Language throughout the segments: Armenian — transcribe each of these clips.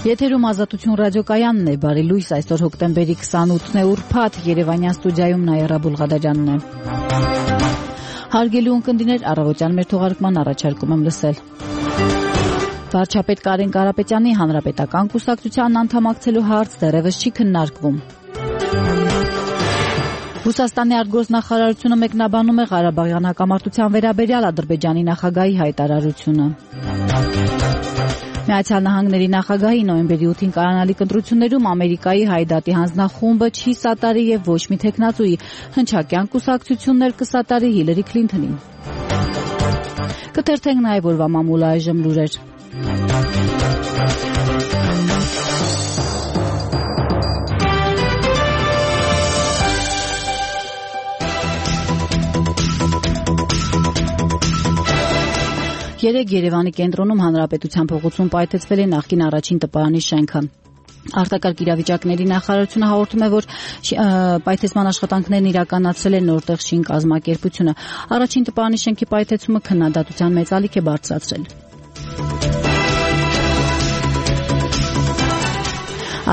Եթերում Ազատություն ռադիոկայանն է, բարի լույս, այսօր հոկտեմբերի 28-ն է, ուրբաթ, Երևանյան ստուդիայում Նաիրա Բուլղադարյանն է։ Հարգելի ունկնդիրներ, առավոտյան մեր թողարկման առաջարկում եմ լսել։ Վարչապետ Կարեն Կարապետյանի հանրապետական կուսակցությանն անդամակցելու հարց դեռևս չի քննարկվում։ Ռուսաստանի արտգործնախարարությունը մեկնաբանում է Ղարաբաղյան հակամարտության վերաբերյալ Ադրբեջանի նախագահի հայտարարությունը։ Միացյալ Նահանգների նախագահի նոյեմբերի 8-ին կայանալիք ընտրություններում Ամերիկայի Հայդատի հանձնախումբը չի սատարի եւ ոչ մի թեկնածուի հնչակյան կուսակցություններ կսատարի Հիլարի Քլինթոնին։ Կթերթենք նաեւ օրվա մամուլը այժմ լուրեր։ Երեկ Երևանի կենտրոնում Հանրապետության փողոցում պայթեցվել է նախկին առաջին տպարանի շենքը։ Արտակարգ իրավիճակների նախարարությունը հաղորդում է, որ պայթեցման աշխատանքներն իրականացրել է Նորտեղ շին կազմակերպությունը։ Առաջին տպարանի շենքի պայթեցումը քննադատության մեծ ալիք է բարձրացրել։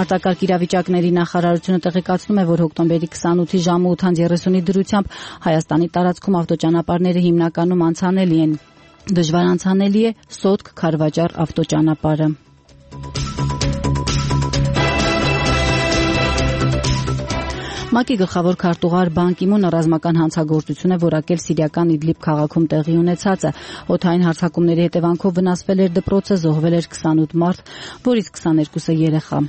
Արտակարգ իրավիճակների նախարարությունը տեղեկացնում է, որ հոկտեմբերի 28-ի ժամը 8:30-ի դրությամբ Հայաստանի տարածքում ավտոճանապարհները հիմնականում անցանելի են։ Դժվար անցանելի է Սոտք-Քարվաճառ ավտոճանապարհը։ ՄԱԿ-ի գլխավոր քարտուղար Բան Կի Մունը ռազմական հանցագործություն է որակել սիրիական Իդլիբ քաղաքում տեղի ունեցածը։ Օդային հարձակումների հետևանքով վնասվել էր դպրոցը, զոհվել էր 28 մարդ, որից 22-ը երեխա։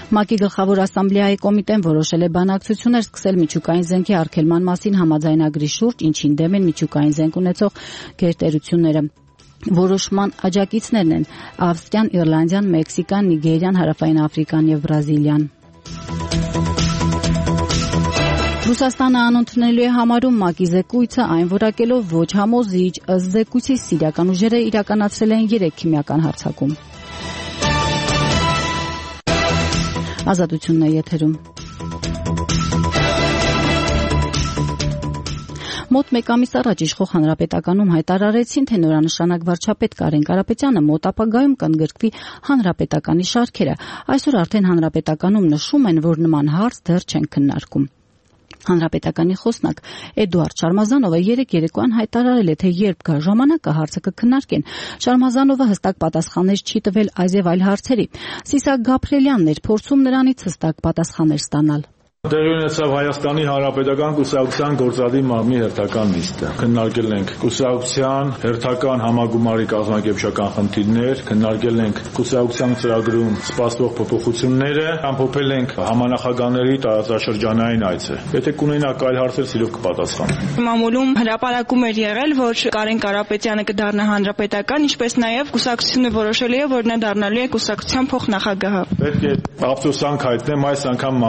ՄԱԿ-ի գլխավոր ասամբլեայի կոմիտեն որոշել է բանակցություններ սկսել միջուկային զենքի արգելման մասին համաձայնագրի շուրջ, ինչին դեմ են միջուկային զենք ունեցող գերտերությունները։ Որոշման աջակիցներն են Ավստրիան, Իռլանդիան, Մեքսիկան, Նիգերիան, Հարավային Աֆրիկան եւ Բրազիլիան։ Ռուսաստանը անընդունելի է համարում ՄԱԿ-ի զեկույցը, այն որակելով ոչ համոզիչ, ըստ զեկույցի սիրիական ուժերը իրականացրել են 3 քիմիական հարձակում։ Ազատությունն է եթերում։ Մոտ մեկ ամիս առաջ իշխող Հանրապետականում հայտարարեցին, թե նորանշանակ վարչապետ Կարեն Կարապետյանը մոտ ապագայում կընդգրկվի Հանրապետականի շարքերը։ Այսօր արդեն Հանրապետականում նշում են, որ նման հարց դեռ չեն քննարկում։ Հանրապետականի խոսնակ Էդուարդ Շարմազանովը երեկ երեկոյան հայտարարել է, թե երբ գա ժամանակը հարցը կքննարկեն։ Շարմազանովը հստակ պատասխաններ չի տվել այս եւ այլ հարցերի։ Սիսակ Գաբրելյանն էր փորձում նրանից հստակ պատասխաններ ստանալ։ Տեղի ունեցավ Հայաստանի Հանրապետական կուսակցության գործադիր մարմնի հերթական նիստը։ Քննարկել ենք կուսակցության հերթական համագումարի կազմակերպչական խնդիրներ, քննարկել ենք կուսակցության ծրագրում սպասվող փոփոխությունները, ամփոփել ենք համանախագահների տարածաշրջանային այցը։ Եթե կունենաք այլ հարցեր, սիրով կպատասխանեմ։ Մամուլում հրապարակում էր եղել, որ Կարեն Կարապետյանը կդառնա հանրապետական, ինչպես նաև կուսակցությունը որոշել է, որ նա դառնալու է կուսակցության փոխնախագահը։ Պետք է ափսոսանք հայտնեմ, այս անգամ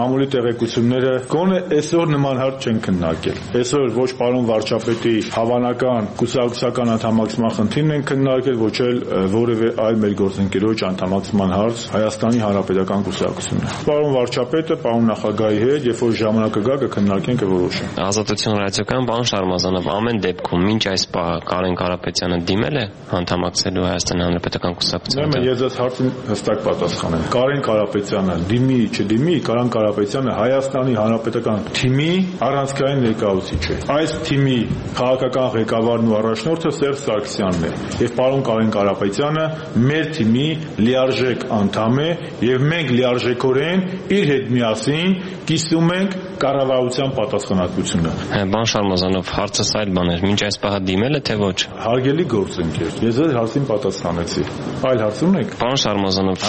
մամուլի տեղեկությունները գոնե այսօր նման հարց չեն քննարկել։ Այսօր ոչ պարոն վարչապետի հավանական կուսակցական անդամակցման խնդիրն են քննարկել, ոչ էլ որևէ այլ մեր գործընկերոջ անդամակցման հարց Հայաստանի Հանրապետական կուսակցությունը։ Պարոն վարչապետը, պարոն նախագահի հետ, երբ որ ժամանակը գա, կքննարկենք եւ որոշենք։ Ազատություն ռադիոկայան պարոն Շարմազանով, ամեն դեպքում մինչ այս պահը Կարեն Կարապետյանը դիմել է անդամակցելու Հայաստանի Հանրապետական կուսակցությանը։ Ես այս հարցին հստակ պատասխանեմ։ Կարեն Կարապետյանը դիմի, չդիմի, Կարեն Կարապետյանը Հայաստանի Հանրապետական թիմի առանցքային ներկայացուցիչ է։ Այս թիմի քաղաքական ղեկավարն ու առաջնորդը Սերժ Սարգսյանն է։ Եվ պարոն Կարեն Կարապետյանը մեր թիմի լիարժեք անդամ է եւ մենք լիարժեքորեն իր հետ միասին կիսում ենք կառավարության պատասխանատվությունը։ Պարոն Շարմազանով, հարցը այլ բան էր, մինչ այս պահը դիմել է թե ոչ։ Հարգելի գործընկեր, ես այդ հարցին պատասխանեցի։ Այլ հարց ունեք։ Պարոն Շարմազանով,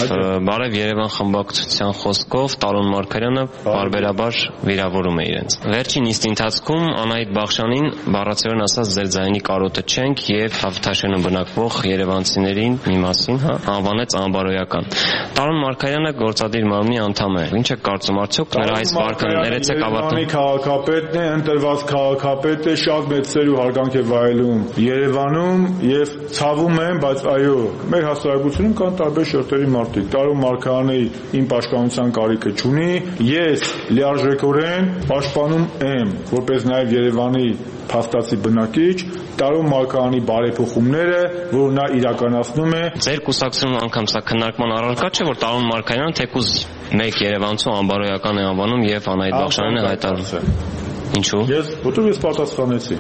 բարև Երևան խմբակցության խոսքով Տարոն Մարգարյանը բարբերաբար վիրավորում է իրենց։ Վերջին նիստի ընթացքում Անահիտ Բախշյանին բառացիորեն ասած ձեր ձայնի կարոտը չենք եւ Հավթաշենում բնակվող երևանցիներին մի մասին անվանեց անբարոյական։ Տարոն Մարգարյանը գործադիր մարմնի անդամ է։ Ինչ է կարծում, արդյոք նրա այս վարկը ներեցեք ավարտել։ Երևանի քաղաքապետն է, ընտրված քաղաքապետ է, շատ մեծ սեր ու հարգանք է վայելում Երևանում եւ ցավում եմ, բայց այո, մեր հասարակությունում կան տարբեր շերտերի մարդիկ։ Տարոն Մարգարյանը իմ պաշտպանության կարիքը չունի։ Ես լիարժեքորեն պաշտպանում եմ, որպես նաև Երևանի փաստացի բնակիչ, Տարոն Մարկարյանի բարեփոխումները, որ նա իրականացնում է։ Ձեր կուսակցությունում անգամ սա քննարկման առարկա չէ, որ Տարոն Մարկարյանը թեկուզ մեկ երևանցու անբարոյական է անվանում եւ Անահիտ Բախշյանն է հայտարարում։ Ինչու՞։ Որտեղ ես պատասխանեցի։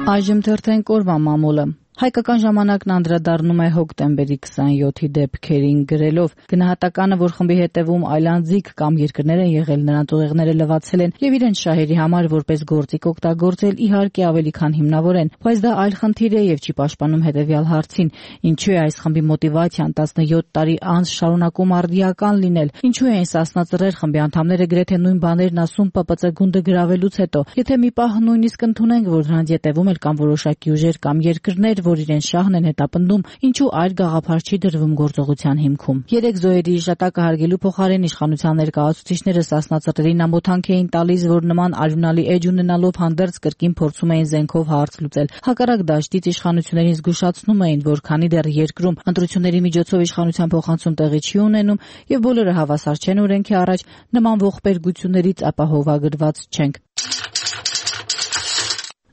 Այժմ թերթենք օրվա մամուլը։ Հայկական ժամանակն անդրադառնում է հոկտեմբերի 27-ի դեպքերին գրելով. գնահատականը, որ խմբի հետևում այլանդզիկ կամ երկրներ են եղել, նրանց ուղեղները լվացել են եւ իրենց շահերի համար որպես գործիք օգտագործել, իհարկե ավելի քան հիմնավոր են, բայց դա այլ խնդիր է եւ չի պաշտպանում հետեւյալ հարցին. ինչու է այս խմբի մոտիվացիան 17 տարի անց շարունակում արդիական լինել, ինչու են սասնածռեր խմբի անդամները գրեթե նույն բաներն ասում ՊՊՑ գունդը գրավելուց հետո, եթե մի պահ նույնիսկ ընդունենք, որ նրանց հետևում էլ կան որոշակի ուժեր կամ երկրներ, որ իրեն շահն են հետապնդում, ինչու այլ գաղափար չի դրվում գործողության հիմքում։ 3 զոհերի հիշատակը հարգելու փոխարեն իշխանության ներկայացուցիչները սասնածռերին ամոթանք էին տալիս, որ նման արյունալի էջ ունենալով հանդերձ կրկին փորձում էին զենքով հարց լուծել։ Հակառակ դաշտից իշխանություններին զգուշացնում էին, որ քանի դեռ երկրում ընտրությունների միջոցով իշխանության փոխանցում տեղի չի ունենում եւ բոլորը հավասար չեն օրենքի առաջ, նման ողբերգություններից ապահովագրված չենք։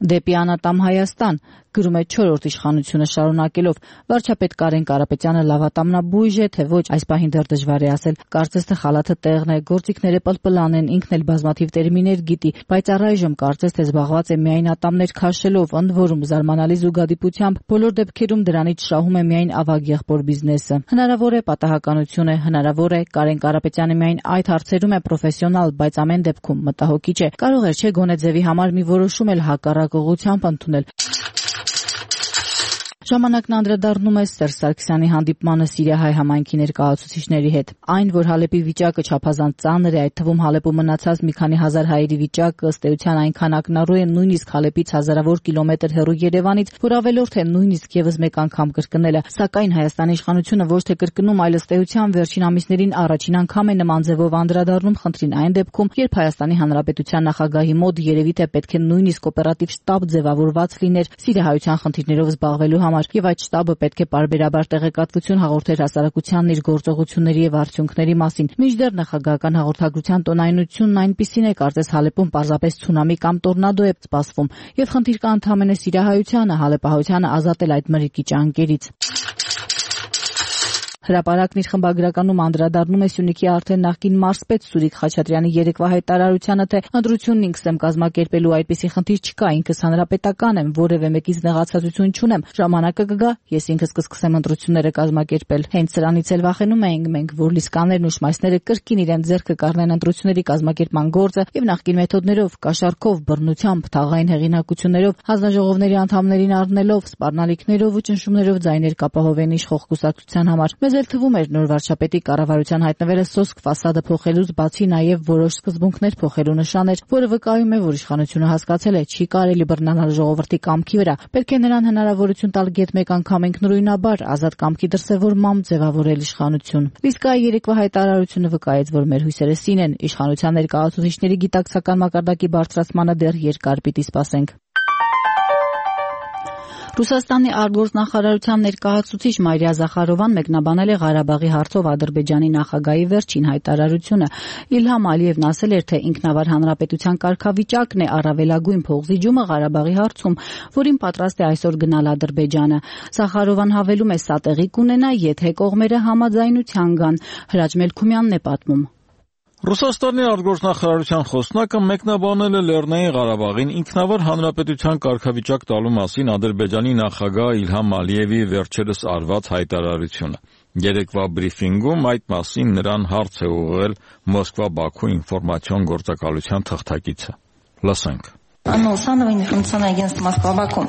Դեպի անատամ Հայաստան գրում է 4-րդ իշխանությունը շարունակելով. վարչապետ Կարեն Կարապետյանը լավատամնաբույժ է, թե ոչ, այս պահին դեռ դժվար է ասել։ Կարծես թե խալաթը տեղն է, գործիքները պլպլան են, ինքն էլ բազմաթիվ տերմիներ գիտի, բայց առայժմ կարծես թե զբաղված է միայն ատամներ քաշելով, ընդ որում զարմանալի զուգադիպությամբ բոլոր դեպքերում դրանից շահում է միայն ավագ եղբոր բիզնեսը։ Հնարավոր է պատահականություն է, հնարավոր է Կարեն Կարապետյանը միայն այդ հարցերում է պրոֆեսիոնալ, բայց ամեն դեպքում մտահոգիչ է։ Կարող է չէ գոնե ձևի համար մի որոշում էլ հակառակ ուղղությամբ ընդունել։ Ժամանակն անդրադառնում է Սերժ Սարգսյանի հանդիպմանը Սիրիահայ համայնքի ներկայացուցիչների հետ։ Այն, որ Հալեպի վիճակը չափազանց ծանր է, այդ թվում Հալեպում մնացած մի քանի հազար հայերի վիճակը ըստ էության այնքան ակնառու է նույնիսկ Հալեպից հազարավոր կիլոմետր հեռու Երևանից, որ ավելորդ է նույնիսկ եւս մեկ անգամ կրկնելը։ Սակայն Հայաստանի իշխանությունը ոչ թե կրկնում, այլ ըստ էության վերջին ամիսներին առաջին անգամ է նման ձևով անդրադառնում խնդրին այն դեպքում, երբ Հայաստանի Հանրապետության նախագահի մոտ երևի թե պետք է նույնիսկ օպերատիվ շտաբ ձևավորված լիներ Սիրիահայության խնդիրներով զբաղվելու համար, եւ այդ շտաբը պետք է պարբերաբար տեղեկատվություն հաղորդեր հասարակությանն իր գործողությունների եւ արդյունքների մասին։ Մինչդեռ նախագահական հաղորդագրության տոնայնությունն այնպիսին է, կարծես Հալեպում պարզապես ցունամի կամ տորնադո է սպասվում, եւ խնդիր կա ընդհանրապես Սիրիահայությանը, հալեպահայությանը ազատել այդ մրրիկի ճանկերից։ Հրապարակն իր խմբագրականում անդրադառնում է Սյունիքի արդեն նախկին մարզպետ Սուրիկ Խաչատրյանի երեկվա հայտարարությանը, թե ընտրությունն ինքս եմ կազմակերպելու, այդպիսի խնդիր չկա, ինքս հանրապետական եմ, որևէ մեկից նեղացածություն չունեմ, ժամանակը կգա, ես ինքս կսկսեմ ընտրությունները կազմակերպել։ Հենց սրանից էլ վախենում ենք մենք, որ լիսկաներն ու շմայսները կրկին իրենց ձեռքը կառնեն ընտրությունների կազմակերպման գործը եւ նախկին մեթոդներով, կաշառքով, բռնությամբ, թաղային հեղինակություններով, հանձնաժողովների անդամներին առնելով, սպառնալիքներով ու ճնշումներով ձայներ կապահովեն իշխող կուսակցության համար։ Մեզ թվում էր նոր վարչապետի կառավարության հայտնվելը սոսկ ֆասադը փոխելուց բացի նաև որոշ սկզբունքներ փոխելու նշան էր, որը վկայում է, որ իշխանությունը հասկացել է, չի կարելի բռնանալ ժողովրդի կամքի վրա, պետք է նրան հնարավորություն տալ գեթ մեկ անգամ ինքնուրույնաբար ազատ կամքի դրսևորմամբ ձևավորել իշխանություն։ Իսկ այ երեկվա հայտարարությունը վկայեց, որ մեր հույսերը սին են, իշխանության ներկայացուցիչների գիտակցական մակարդակի բարձրացմանը դեռ երկար պիտի սպասենք։ Ռուսաստանի արտգործնախարարության ներկայացուցիչ Մարիա Զախարովան մեկնաբանել է Ղարաբաղի հարցով Ադրբեջանի նախագահի վերջին հայտարարությունը։ Իլհամ Ալիևն ասել էր, թե ինքնավար հանրապետության կարգավիճակն է առավելագույն փոխզիջումը Ղարաբաղի հարցում, որին պատրաստ է այսօր գնալ Ադրբեջանը։ Զախարովան հավելում է, սա տեղի կունենա, եթե կողմերը համաձայնության գան։ Հրաչ Մելքումյանն է պատմում։ Ռուսաստանի արտգործնախարարության խոսնակը մեկնաբանել է Լեռնային Ղարաբաղին ինքնավար հանրապետության կարգավիճակ տալու մասին Ադրբեջանի նախագահ Իլհամ Ալիևի վերջերս արված հայտարարությունը։ Երեկվա բրիֆինգում այդ մասին նրան հարց է ուղղել Մոսկվա-Բաքու ինֆորմացիոն գործակալության թղթակիցը։ Լսենք։ Ановое информационное агентство Москва-Баку.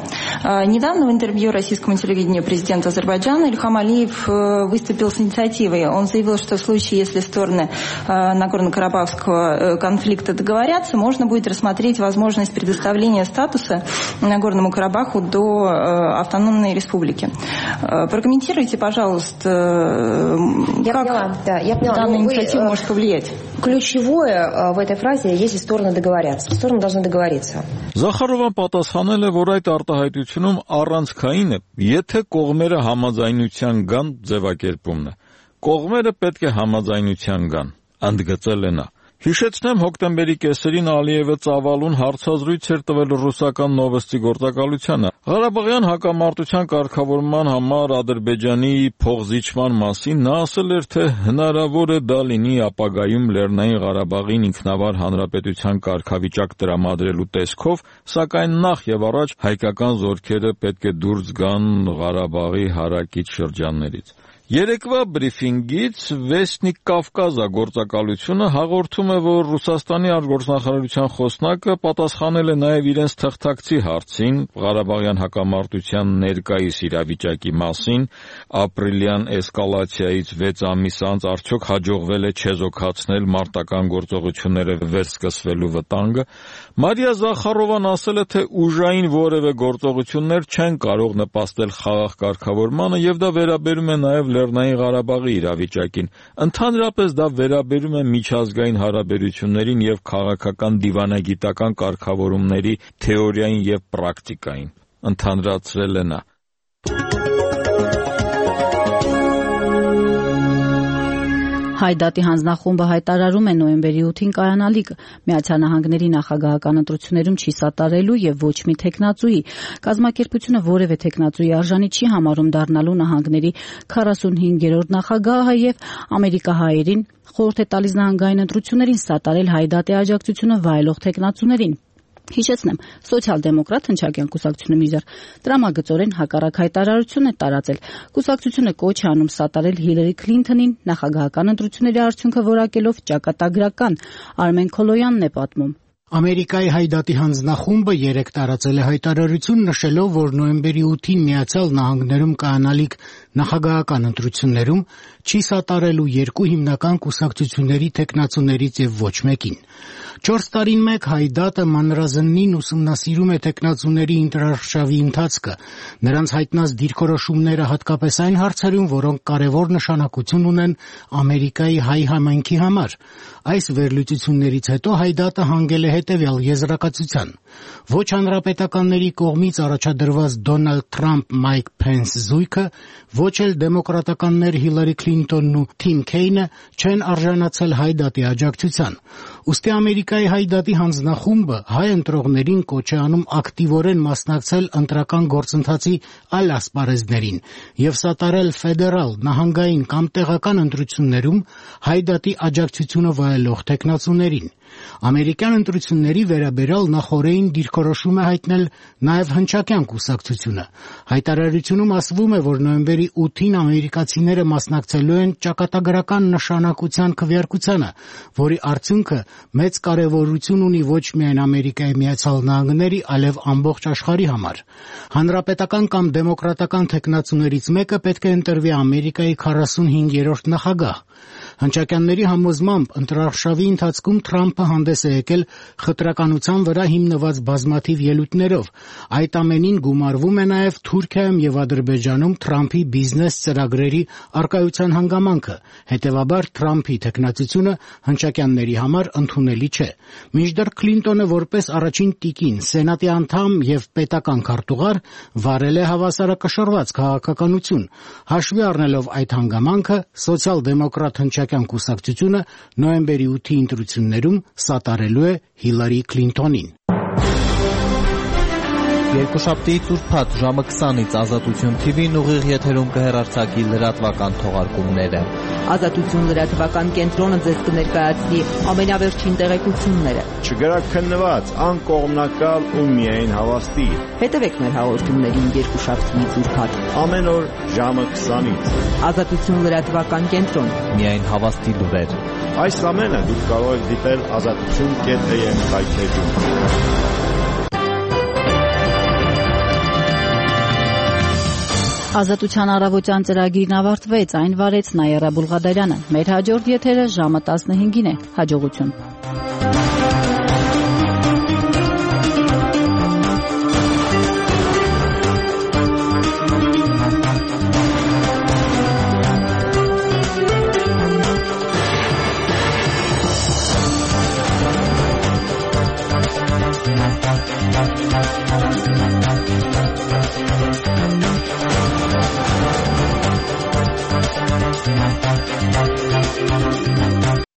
Недавно в интервью российскому телевидению президент Азербайджана Ильхам Алиев выступил с инициативой. Он заявил, что в случае, если стороны Нагорно-Карабахского конфликта договорятся, можно будет рассмотреть возможность предоставления статуса Нагорному Карабаху до автономной республики. Прокомментируйте, пожалуйста, как данная инициатива может повлиять. Ключевое в этой фразе, если стороны договорятся. Стороны должны договориться. Զախարովան պատասխանել է, որ այդ արտահայտությունում առանցքային է, եթե կողմերը համաձայնության գան ձևակերպումն է։ Կողմերը պետք է համաձայնության գան, ընդգծել է նա։ Հիշեցնեմ, հոկտեմբերի կեսերին Ալիևը ծավալուն հարցազրույց էր տվել ռուսական Նովոստի գործակալությանը։ Ղարաբաղյան հակամարտության կարգավորման համար Ադրբեջանի փոխզիջման մասին նա ասել էր, թե հնարավոր է դա լինի ապագայում Լեռնային Ղարաբաղին ինքնավար հանրապետության կարգավիճակ տրամադրելու տեսքով, սակայն նախ եւ առաջ հայկական զորքերը պետք է դուրս գան Ղարաբաղի հարակից շրջաններից։ Երեկվա բրիֆինգից Վեսնիկ Կավկազա գործակալությունը հաղորդում է, որ Ռուսաստանի արտգործնախարարության խոսնակը պատասխանել է նաև իրենց թղթակցի հարցին Ղարաբաղյան հակամարտության ներկայիս իրավիճակի մասին, ապրիլյան էսկալացիայից 6 ամիս անց արդյոք հաջողվել է չեզոքացնել մարտական գործողությունները վերսկսվելու վտանգը։ Մարիա Զախարովան ասել է, թե ուժային որևէ գործողություններ չեն կարող նպաստել խաղաղ կարգավորմանը եւ դա վերաբերում է նաև Լեռնային Ղարաբաղի իրավիճակին։ Ընդհանրապես դա վերաբերում է միջազգային հարաբերություններին եւ քաղաքական դիվանագիտական կարգավորումների թեորիային եւ պրակտիկային, ընդհանրացրել է նա։ Հայդատի հանձնախումբը հայտարարում է նոյեմբերի 8-ին կայանալիք Միացյալ Նահանգների նախագահական ընտրություններում չի սատարելու եւ ոչ մի թեկնածուի։ Կազմակերպությունը որևէ թեկնածուի արժանի չի համարում դառնալու նահանգների 45-րդ նախագահը եւ ամերիկահայերին խորհուրդ է տալիս նահանգային ընտրություններին սատարել Հայդատի աջակցությունը վայելող թեկնածուներին։ Հիշեցնեմ, սոցիալ-դեմոկրատ հնչակյան կուսակցությունը մի տրամագծորեն հակառակ հայտարարություն է տարածել։ Կուսակցությունը կոչ է անում սատարել Հիլարի Քլինթոնին նախագահական ընտրությունների արդյունքը որակելով ճակատագրական։ Արմեն Քոլոյանն է պատմում։ Ամերիկայի Հայդատի հանձնախումբը երեկ տարածել է հայտարարություն նշելով, որ նոյեմբերի 8-ին Միացյալ Նահանգներում կայանալիք նախագահական ընտրություններում չի սատարելու երկու հիմնական կուսակցությունների թեկնածուներից եւ ոչ մեկին։ 4 տարին մեկ Հայդատը մանրազնին ուսումնասիրում է թեկնածուների ընտրարշավի ընթացքը, նրանց հայտնած դիրքորոշումները հատկապես այն հարցերում, որոնք կարևոր նշանակություն ունեն Ամերիկայի հայ համայնքի համար։ Այս վերլուծություններից հետո Հայդատը հանգել է հետևյալ եզրակացության. ոչ հանրապետականների կողմից առաջադրված Դոնալդ Թրամփ-Մայք Փենս զույգը, ոչ էլ դեմոկրատականներ Հիլարի Քլինտոնն ու Թիմ Քեյնը չեն արժանացել Հայդատի աջակցության։ Ուստի Ամերիկայի Հայդատի հանձնախումբը հայ ընտրողներին կոչ է անում ակտիվորեն մասնակցել ընտրական գործընթացի այլ ասպարեզներին եւ սատարել ֆեդերալ, նահանգային կամ տեղական ընտրություններում Հայդատի աջակցությունը վայելող թեկնածուներին։ Ամերիկյան ընտրությունների վերաբերյալ նախօրեին դիրքորոշում է հայտնել նաև հնչակյան կուսակցությունը։ Հայտարարությունում ասվում է, որ նոյեմբերի 8-ին ամերիկացիները մասնակցելու են ճակատագրական նշանակության քվեարկությանը, որի արդյունքը մեծ կարևորություն ունի ոչ միայն Ամերիկայի Միացյալ Նահանգների, այլև ամբողջ աշխարհի համար։ Հանրապետական կամ դեմոկրատական թեկնածուներից մեկը պետք է ընտրվի Ամերիկայի 45-րդ նախագահ։ Հնչակյանների համոզմամբ ընտրարշավի ընթացքում Թրամփը հանդես է եկել խտրականության վրա հիմնված բազմաթիվ ելույթներով։ Այդ ամենին գումարվում է նաև Թուրքիայում եւ Ադրբեջանում Թրամփի բիզնես ծրագրերի արկայության հանգամանքը։ Հետևաբար Թրամփի թեկնածությունը հնչակյանների համար ընդունելի չէ։ Մինչդեռ Քլինտոնը որպես առաջին տիկին, սենատի անդամ եւ պետական քարտուղար վարել է հավասարակշռված քաղաքականություն։ Հաշվի առնելով այդ հանգամանքը, սոցիալ-դեմոկրատ հնչակյան կուսակցությունը նոյեմբերի 8-ի ընտրություններում սատարելու է Հիլարի Քլինտոնին։ Երկուշաբթիից ուրբաթ ժամը 20-ից Ազատություն TV-ն ուղիղ եթերում կհեռարձակի լրատվական թողարկումները։ Ազատություն լրատվական կենտրոնը ձեզ կներկայացնի ամենավերջին տեղեկությունները։ Չգրաքննված, անկողմնակալ ու միայն հավաստի։ Հետևեք մեր հաղորդումներին երկուշաբթիից ուրբաթ ամեն օր ժամը 20-ից։ Ազատություն լրատվական կենտրոն։ Միայն հավաստի լուրեր։ Այս ամենը դուք կարող եք դիտել azatutun.am սայթերում։ Ազատության առավոտյան ծրագիրն ավարտվեց, այն վարեց Նայերա Բուլղադարյանը։ Մեր հաջորդ եթերը ժամը 15-ին է։ Հաջողություն։